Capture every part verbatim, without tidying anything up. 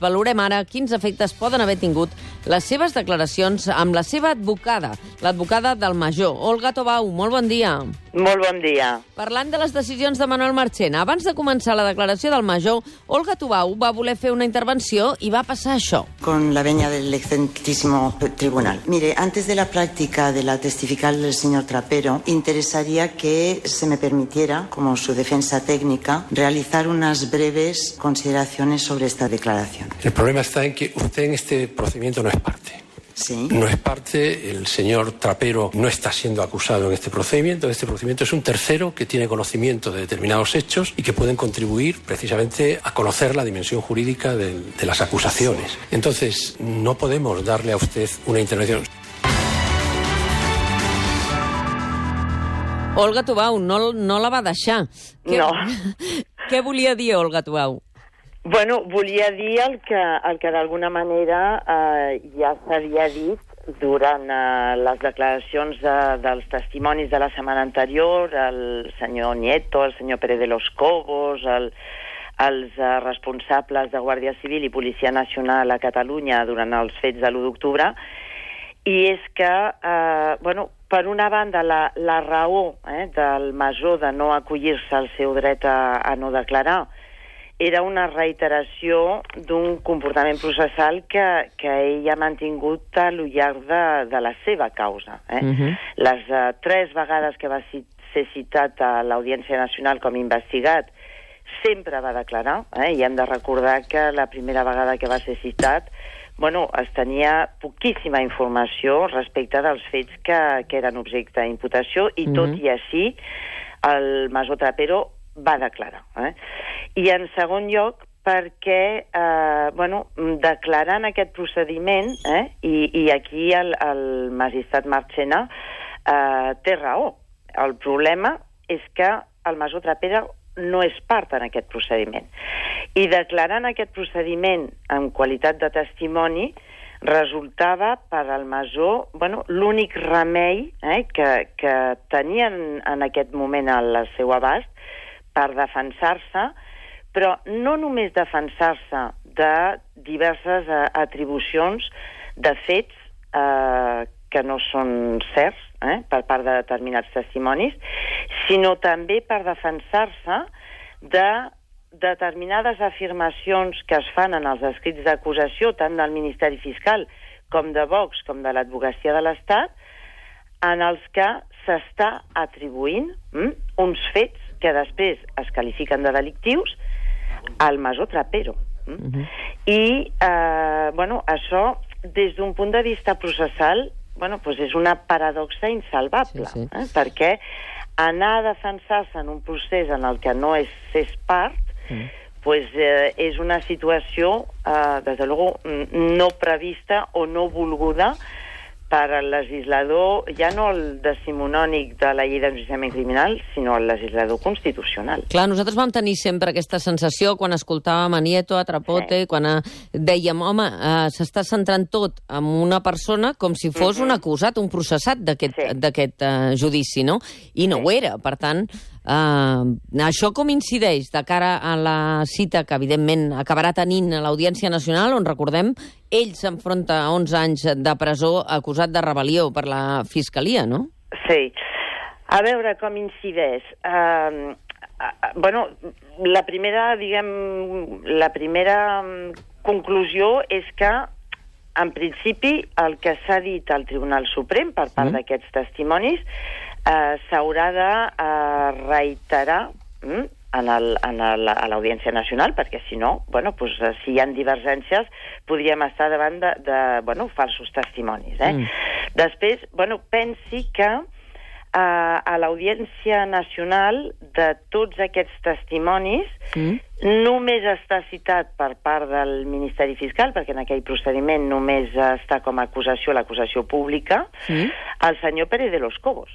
Valorem ara quins efectes poden haver tingut les seves declaracions amb la seva advocada, l'advocada del major, Olga Tobau. Molt bon dia. Molt bon dia. Parlant de les decisions de Manuel Marchena, abans de començar la declaració del major, Olga Tobau va voler fer una intervenció i va passar això. Con la venia del excelentísimo tribunal. Mire, antes de la práctica de la testifical del señor Trapero, interesaría que se me permitiera, como su defensa técnica, realizar unas breves consideraciones sobre esta declaración. El problema está en que usted en este procedimiento no es parte. Sí. No es parte, el señor Trapero no está siendo acusado en este procedimiento. Este procedimiento es un tercero que tiene conocimiento de determinados hechos y que pueden contribuir precisamente a conocer la dimensión jurídica de, de las acusaciones. Entonces, no podemos darle a usted una intervención. Olga Tobau no, no la va deixar. Què, No. Què volia dir Olga Tobau? Bueno, volia dir el que, el que d'alguna manera eh, ja s'havia dit durant eh, les declaracions de, dels testimonis de la setmana anterior, el senyor Nieto, el senyor Pérez de los Cobos, el, els eh, responsables de Guàrdia Civil i Policia Nacional a Catalunya durant els fets de l'u d'octubre, i és que, eh, bueno, per una banda, la, la raó eh, del major de no acollir-se al seu dret a, a no declarar era una reiteració d'un comportament processal que, que ell ha mantingut a lo llarg de, de la seva causa. Eh? Uh-huh. Les uh, tres vegades que va ser citat a l'Audiència Nacional com a investigat, sempre va declarar, eh? I hem de recordar que la primera vegada que va ser citat, bueno, es tenia poquíssima informació respecte dels fets que, que eren objecte d'imputació, i uh-huh. tot i així el major Trapero va declarar. Eh? I en segon lloc, perquè eh, bueno, declarant aquest procediment, eh, i, i aquí el, el magistrat Marchena eh, té raó. El problema és que el major Trapero no és part en aquest procediment. I declarant aquest procediment en qualitat de testimoni resultava per al major, bueno, l'únic remei eh, que, que tenien en aquest moment al seu abast per defensar-se, però no només defensar-se de diverses eh, atribucions de fets eh, que no són certs eh, per part de determinats testimonis, sinó també per defensar-se de determinades afirmacions que es fan en els escrits d'acusació, tant del Ministeri Fiscal com de Vox, com de l'Advocacia de l'Estat, en els que s'està atribuint hm, uns fets que després es qualifiquen de delictius al major Trapero. Mm? Uh-huh. I, eh, bueno, això, des d'un punt de vista processal, bueno, pues és una paradoxa insalvable, sí, sí. Eh? Perquè anar a defensar-se en un procés en el que no és, és part, uh-huh. pues, eh, és una situació, eh, des de luego, no prevista o no volguda per al legislador, ja no el decimonònic de la llei d'enjudiciament criminal, sinó el legislador constitucional. Clar, nosaltres vam tenir sempre aquesta sensació quan escoltàvem a Nieto, a Trapote, sí. quan a... dèiem, home, uh, s'està centrant tot en una persona com si fos uh-huh. un acusat, un processat d'aquest sí. uh, judici, no? I no sí. ho era, per tant... Uh, això com incideix de cara a la cita que evidentment acabarà tenint a l'Audiència Nacional, on recordem ell s'enfronta a onze anys de presó acusat de rebel·lió per la Fiscalia, no? Sí. A veure com incideix. Uh, uh, bueno, la primera, diguem, la primera conclusió és que en principi el que s'ha dit al Tribunal Suprem per part mm. d'aquests testimonis Uh, s'haurà de uh, reiterar mm, en el, en el, a l'Audiència Nacional, perquè si no, bueno, pues, uh, si hi ha divergències, podríem estar davant de, de bueno, falsos testimonis. Eh? Mm. Després, bueno, pensi que uh, a l'Audiència Nacional de tots aquests testimonis mm. només està citat per part del Ministeri Fiscal, perquè en aquell procediment només està com a acusació l'acusació pública, mm. el senyor Pérez de los Cobos.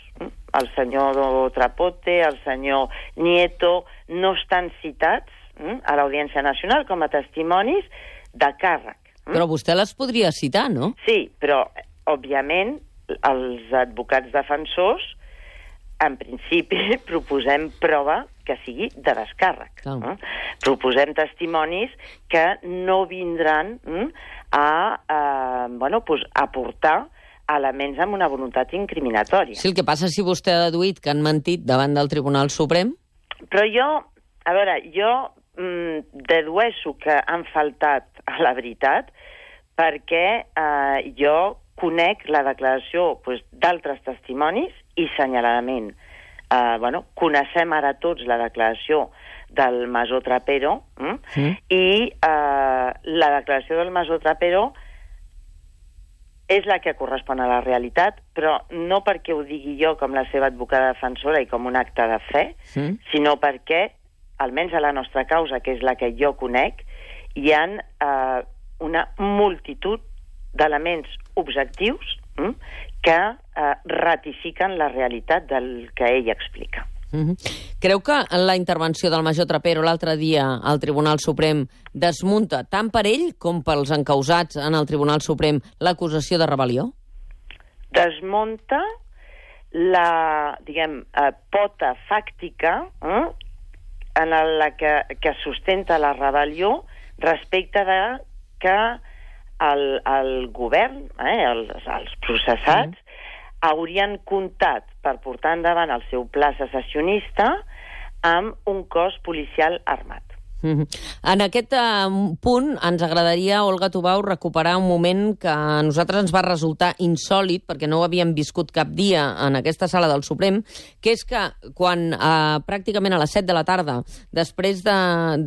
El senyor Trapote, el senyor Nieto, no estan citats mm, a l'Audiència Nacional com a testimonis de càrrec. Mm? Però vostè les podria citar, no? Sí, però, òbviament, els advocats defensors en principi, proposem prova que sigui de descàrrec. Oh. Eh? Proposem testimonis que no vindran eh, a eh, bueno, pues, aportar elements amb una voluntat incriminatòria. Sí, el que passa si vostè ha deduït que han mentit davant del Tribunal Suprem... Però jo, a veure, jo mm, dedueixo que han faltat a la veritat perquè eh, jo conec la declaració pues, d'altres testimonis i senyaladament. Eh, bueno, coneixem ara tots la declaració del major Trapero mm? Mm. i eh, la declaració del major Trapero és la que correspon a la realitat, però no perquè ho digui jo com la seva advocada defensora i com un acte de fe, sí. sinó perquè, almenys a la nostra causa, que és la que jo conec, hi ha eh, una multitud d'elements objectius hm, que eh, ratifiquen la realitat del que ell explica. Mm-hmm. Creu que la intervenció del major Trapero l'altre dia al Tribunal Suprem desmunta tant per ell com pels encausats en el Tribunal Suprem l'acusació de rebel·lió? Desmunta la, diguem, eh, pota fàctica eh, en la que, que sustenta la rebel·lió respecte de que el, el govern, eh, els, els processats, mm. haurien comptat per portar endavant el seu pla secessionista amb un cos policial armat. Mm-hmm. En aquest uh, punt ens agradaria, Olga Tubau, recuperar un moment que a nosaltres ens va resultar insòlit, perquè no ho havíem viscut cap dia en aquesta sala del Suprem, que és que quan uh, pràcticament a les set de la tarda, després de,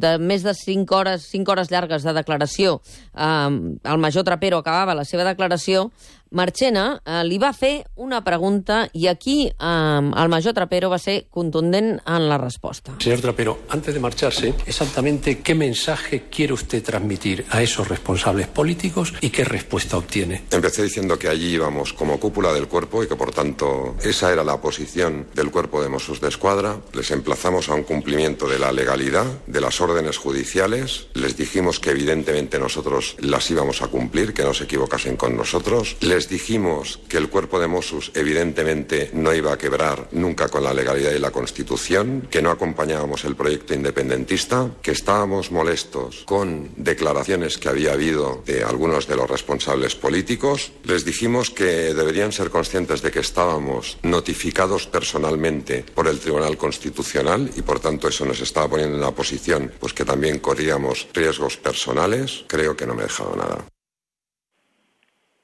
de més de cinc hores, cinc hores llargues de declaració, uh, el major Trapero acabava la seva declaració, Marchena eh, li va fer una pregunta y aquí eh, el major Trapero va ser contundent en la respuesta. Señor Trapero, antes de marcharse, exactamente qué mensaje quiere usted transmitir a esos responsables políticos y qué respuesta obtiene. Empecé diciendo que allí íbamos como cúpula del cuerpo y que por tanto esa era la posición del cuerpo de Mossos d'Esquadra. Les emplazamos a un cumplimiento de la legalidad, de las órdenes judiciales. Les dijimos que evidentemente nosotros las íbamos a cumplir, que no se equivocasen con nosotros. Les dijimos que el cuerpo de Mossos evidentemente no iba a quebrar nunca con la legalidad y la Constitución, que no acompañábamos el proyecto independentista, que estábamos molestos con declaraciones que había habido de algunos de los responsables políticos. Les dijimos que deberían ser conscientes de que estábamos notificados personalmente por el Tribunal Constitucional y por tanto eso nos estaba poniendo en una posición pues que también corríamos riesgos personales. Creo que no me he dejado nada.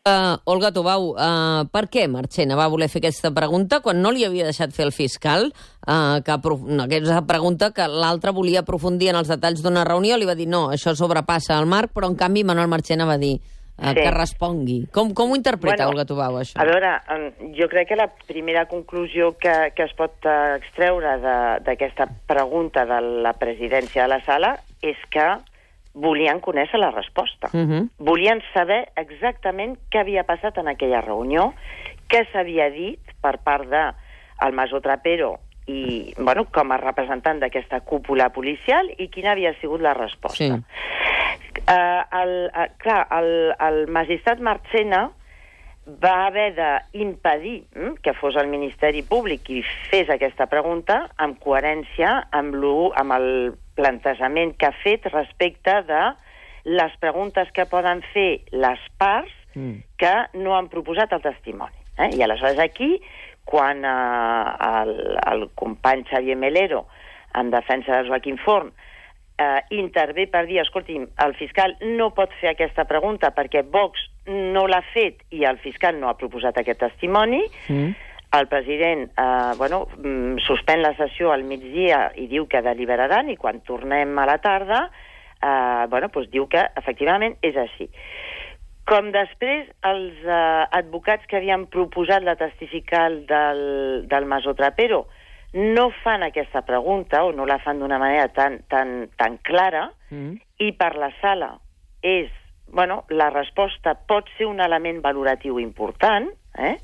Uh, Olga Tubau, uh, per què Marchena va voler fer aquesta pregunta quan no li havia deixat fer el fiscal? Uh, que aquesta pregunta que l'altre volia aprofundir en els detalls d'una reunió, li va dir no, això sobrepassa el marc, però en canvi Manuel Marchena va dir uh, sí. que respongui. Com, com ho interpreta, bueno, Olga Tubau, això? A veure, jo crec que la primera conclusió que, que es pot extreure d'aquesta pregunta de la presidència de la sala és que volien conèixer la resposta. Uh-huh. Volien saber exactament què havia passat en aquella reunió, què s'havia dit per part del major Trapero i, bueno, com a representant d'aquesta cúpula policial i quina havia sigut la resposta. Sí. Uh, el, uh, clar, el, el magistrat Marchena va haver d'impedir hm, que fos el Ministeri Públic qui fes aquesta pregunta amb coherència amb, amb el plantejament que ha fet respecte de les preguntes que poden fer les parts mm. que no han proposat el testimoni. Eh? I aleshores aquí, quan eh, el, el company Xavier Melero, en defensa de Joaquim Forn, eh, intervé per dir, escolti'm, el fiscal no pot fer aquesta pregunta perquè Vox no l'ha fet i el fiscal no ha proposat aquest testimoni, mm. el president eh, bueno, suspèn la sessió al migdia i diu que deliberaran i quan tornem a la tarda eh, bueno, doncs diu que efectivament és així. Com després els eh, advocats que havien proposat la testificar del, del major Trapero no fan aquesta pregunta o no la fan d'una manera tan, tan, tan clara mm. i per la sala és, bueno, la resposta pot ser un element valoratiu important, eh?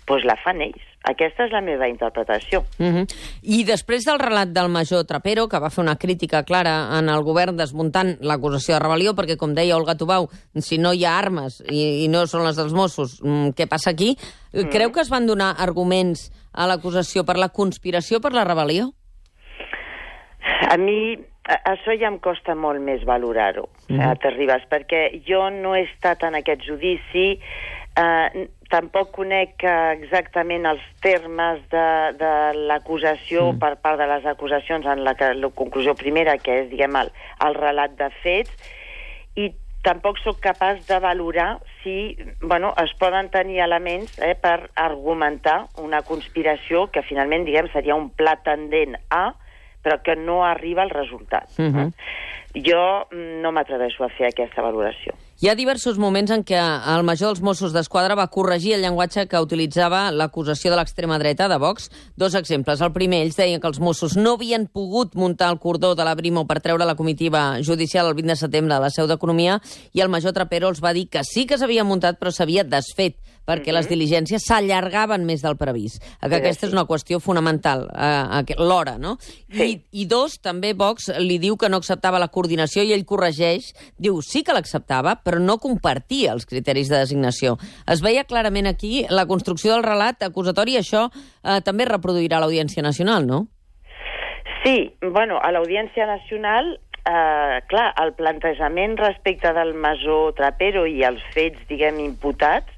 Doncs la fan ells. Aquesta és la meva interpretació. Uh-huh. I després del relat del major Trapero, que va fer una crítica clara en el govern desmuntant l'acusació de rebel·lió, perquè, com deia Olga Tubau, si no hi ha armes i, i no són les dels Mossos, què passa aquí? Mm. Creu que es van donar arguments a l'acusació per la conspiració per la rebel·lió? A mi això ja em costa molt més valorar-ho, mm. eh, Terribas, perquè jo no he estat en aquest judici, eh, tampoc conec exactament els termes de, de l'acusació mm. per part de les acusacions en la, la conclusió primera, que és, diguem, el, el relat de fets, i tampoc sóc capaç de valorar si, bueno, es poden tenir elements eh, per argumentar una conspiració que finalment, diguem, seria un pla tendent a, però que no arriba al resultat. Uh-huh. Jo no m'atreveixo a fer aquesta valoració. Hi ha diversos moments en què el major dels Mossos d'Esquadra va corregir el llenguatge que utilitzava l'acusació de l'extrema dreta de Vox. Dos exemples. El primer, ells deien que els Mossos no havien pogut muntar el cordó de la Brimo per treure la comitiva judicial el vint de setembre a la seu d'Economia, i el major Trapero els va dir que sí que s'havia muntat, però s'havia desfet, perquè mm-hmm. les diligències s'allargaven més del previst. Que sí, aquesta sí. és una qüestió fonamental, eh, l'hora, no? Sí. I, I dos, també Vox li diu que no acceptava la coordinació i ell corregeix, diu sí que l'acceptava, però no compartia els criteris de designació. Es veia clarament aquí la construcció del relat acusatori, això eh, també reproduirà l'Audiència Nacional, no? Sí, bueno, a l'Audiència Nacional, eh, clar, el plantejament respecte del major Trapero i els fets, diguem, imputats,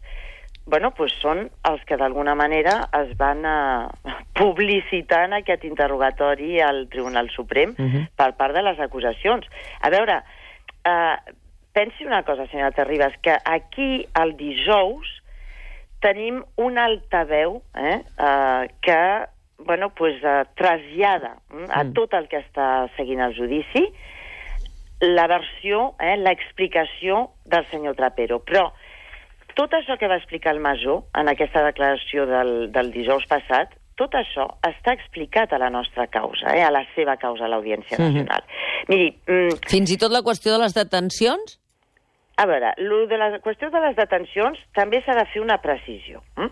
bueno, pues són els que d'alguna manera es van uh, publicitar en aquest interrogatori al Tribunal Suprem uh-huh. per part de les acusacions. A veure, uh, pensi una cosa, senyora Terribas, que aquí el dijous tenim una altaveu eh, uh, que bueno, pues, uh, trasllada mm, a tot el que està seguint el judici la versió, eh, l'explicació del senyor Trapero. Però tot això que va explicar el major en aquesta declaració del, del dijous passat, tot això està explicat a la nostra causa, eh, a la seva causa a l'Audiència Nacional. Mm-hmm. Miri... Mm, fins i tot la qüestió de les detencions? A veure, lo de la qüestió de les detencions també s'ha de fer una precisió. Mm?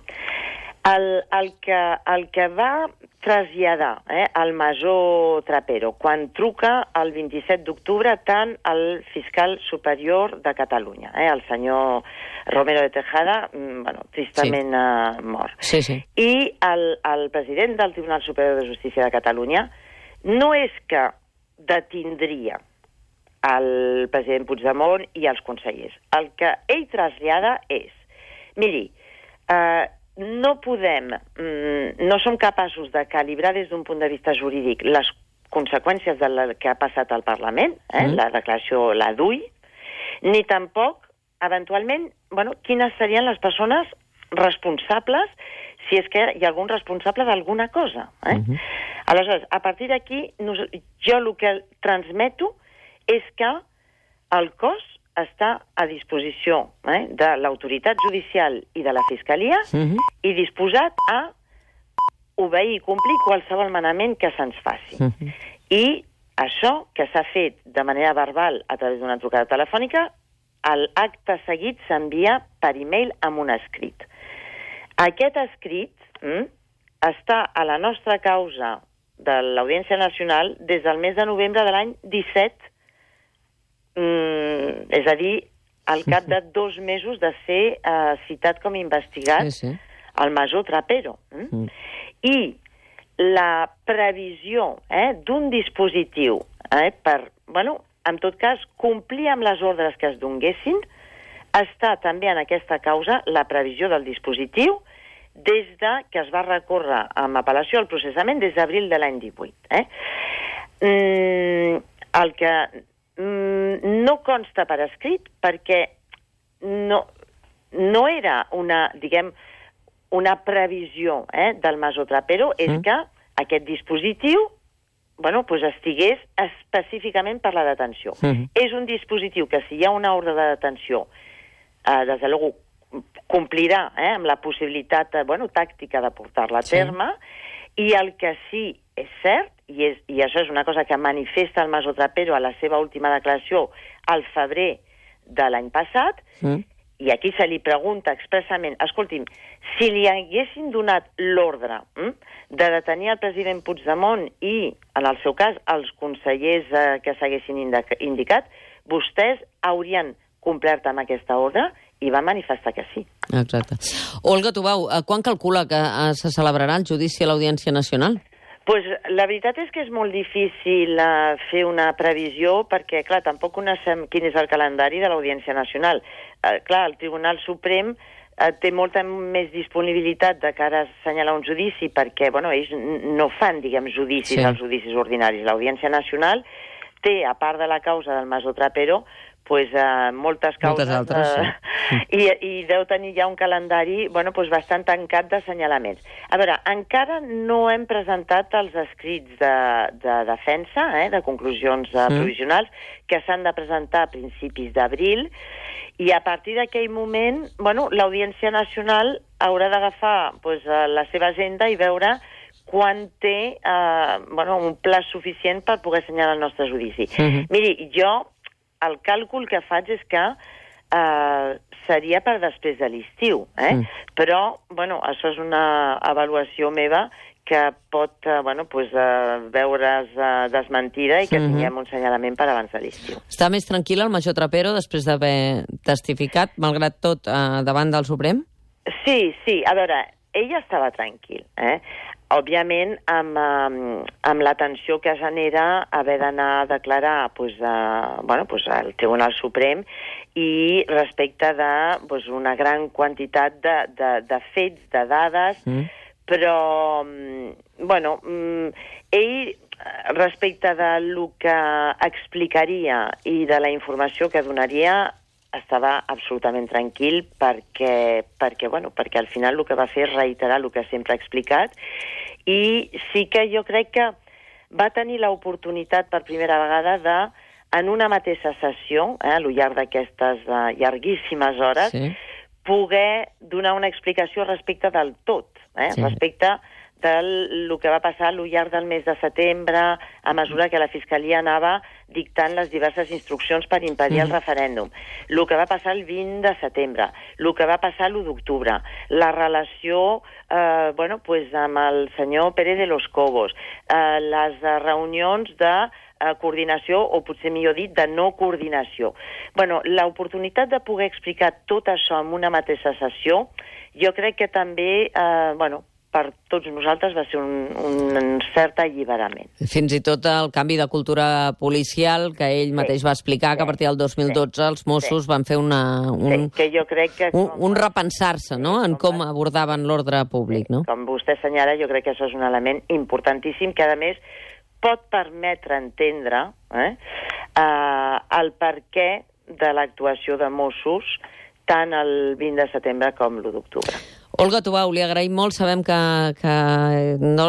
El, el, que, el que va traslladar eh, el major Trapero quan truca el vint-i-set d'octubre tant al fiscal superior de Catalunya, eh, el senyor Romero de Tejada, bueno, tristament sí. uh, mort, sí, sí. i el, el president del Tribunal Superior de Justícia de Catalunya no és que detindria el president Puigdemont i els consellers. El que ell trasllada és, miri, eh, no podem, mm, no som capaços de calibrar des d'un punt de vista jurídic les conseqüències del que ha passat al Parlament, eh, mm. la declaració la D U I, ni tampoc, eventualment, bueno, quines serien les persones responsables si és que hi ha algun responsable d'alguna cosa. Eh? Mm-hmm. Aleshores, a partir d'aquí, jo el que transmeto és que el cos està a disposició eh, de l'autoritat judicial i de la Fiscalia uh-huh. i disposat a obeir i complir qualsevol manament que se'ns faci. Uh-huh. I això que s'ha fet de manera verbal a través d'una trucada telefònica, l'acte seguit s'envia per e-mail amb un escrit. Aquest escrit hm, està a la nostra causa de l'Audiència Nacional des del mes de novembre de l'any disset, Mm, és a dir, al cap de dos mesos de ser uh, citat com investigat sí, sí. el major Trapero. Mm? Mm. I la previsió eh, d'un dispositiu eh, per, bueno, en tot cas, complir amb les ordres que es donguessin, està també en aquesta causa la previsió del dispositiu des de que es va recórrer amb apel·lació al processament des d'abril de l'any divuit. Eh? Mm, el que no consta per escrit perquè no, no era una, diguem, una previsió eh, del major Trapero, és mm. que aquest dispositiu bueno, pues estigués específicament per la detenció. Mm. És un dispositiu que si hi ha una ordre de detenció, eh, des de luego complirà eh, amb la possibilitat eh, bueno, tàctica de portar-la a terme, sí. I el que sí és cert, i, és, i això és una cosa que manifesta el major Trapero a la seva última declaració al febrer de l'any passat, mm. i aquí se li pregunta expressament, escolti'm, si li haguessin donat l'ordre hm, de detenir el president Puigdemont i, en el seu cas, els consellers eh, que s'haguessin indicat, vostès haurien complert amb aquesta ordre i va manifestar que sí. Exacte. Olga Tubau, quan calcula que se celebrarà el judici a l'Audiència Nacional? Pues la veritat és que és molt difícil uh, fer una previsió perquè, clar, tampoc coneixem quin és el calendari de l'Audiència Nacional. Uh, clar, el Tribunal Suprem uh, té molta més disponibilitat de cara a assenyalar un judici perquè, bueno, ells no fan, diguem, judicis sí. als judicis ordinaris. L'Audiència Nacional té, a part de la causa del Masó Trapero, pues, uh, moltes causes moltes altres, uh, sí. i, i deu tenir ja un calendari bueno, pues, bastant tancat d'assenyalaments. A veure, encara no hem presentat els escrits de, de defensa, eh, de conclusions uh, mm. provisionals, que s'han de presentar a principis d'abril, i a partir d'aquell moment, bueno, l'Audiència Nacional haurà d'agafar pues, la seva agenda i veure quan té eh, bueno, un pla suficient per poder assenyalar el nostre judici. Mm-hmm. Miri, jo el càlcul que faig és que eh, seria per després de l'estiu, eh? Mm. Però, bueno, això és una avaluació meva que pot, eh, bueno, pues, eh, veure's eh, desmentida i que mm-hmm. tinguem un senyalament per abans de l'estiu. Està més tranquil el major Trapero després d'haver testificat, malgrat tot, eh, davant del Suprem? Sí, sí. A veure, ell estava tranquil, eh? Òbviament, amb, amb, amb la tensió que genera haver d'anar a declarar pues, a, bueno, pues, al Tribunal Suprem i respecte de pues, una gran quantitat de, de, de fets, de dades, mm. però, bueno, ell, respecte de lo que explicaria i de la informació que donaria, estava absolutament tranquil perquè, perquè, bueno, perquè al final el que va fer és reiterar el que sempre ha explicat i sí que jo crec que va tenir l'oportunitat per primera vegada de, en una mateixa sessió, eh, al llarg d'aquestes uh, llarguíssimes hores, sí. poder donar una explicació respecte del tot, eh, sí. respecte del que va passar al llarg del mes de setembre, a mesura que la Fiscalia anava dictant les diverses instruccions per impedir mm. el referèndum, el que va passar el vint de setembre, el que va passar l'u d'octubre, la relació eh, bueno, pues, amb el senyor Pérez de los Cobos, eh, les reunions de eh, coordinació, o potser millor dit, de no coordinació. Bueno, l'oportunitat de poder explicar tot això en una mateixa sessió, jo crec que també, eh, bueno, per tots nosaltres va ser un, un cert alliberament. Fins i tot el canvi de cultura policial que ell mateix sí, va explicar, sí, que a partir del dos mil dotze sí, els Mossos sí. van fer una, un, sí, que jo crec que un, un repensar-se, no?, en com abordaven l'ordre públic, no? Sí, com vostè assenyala, jo crec que això és un element importantíssim que, a més, pot permetre entendre eh, eh, el perquè de l'actuació de Mossos tant el vint de setembre com l'u d'octubre. Olga Tubau, li agraïm molt. Sabem que, que no,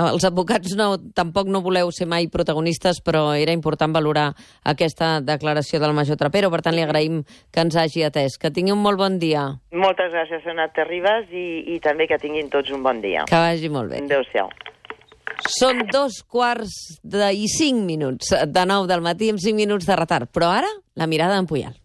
els advocats no, tampoc no voleu ser mai protagonistes, però era important valorar aquesta declaració del major Trapero. Per tant, li agraïm que ens hagi atès. Que tingui un molt bon dia. Moltes gràcies, Sonat Terribas, i, i també que tinguin tots un bon dia. Que vagi molt bé. Adéu-siau. Són dos quarts de i cinc minuts de nou del matí amb cinc minuts de retard. Però ara, la mirada d'en Puyal.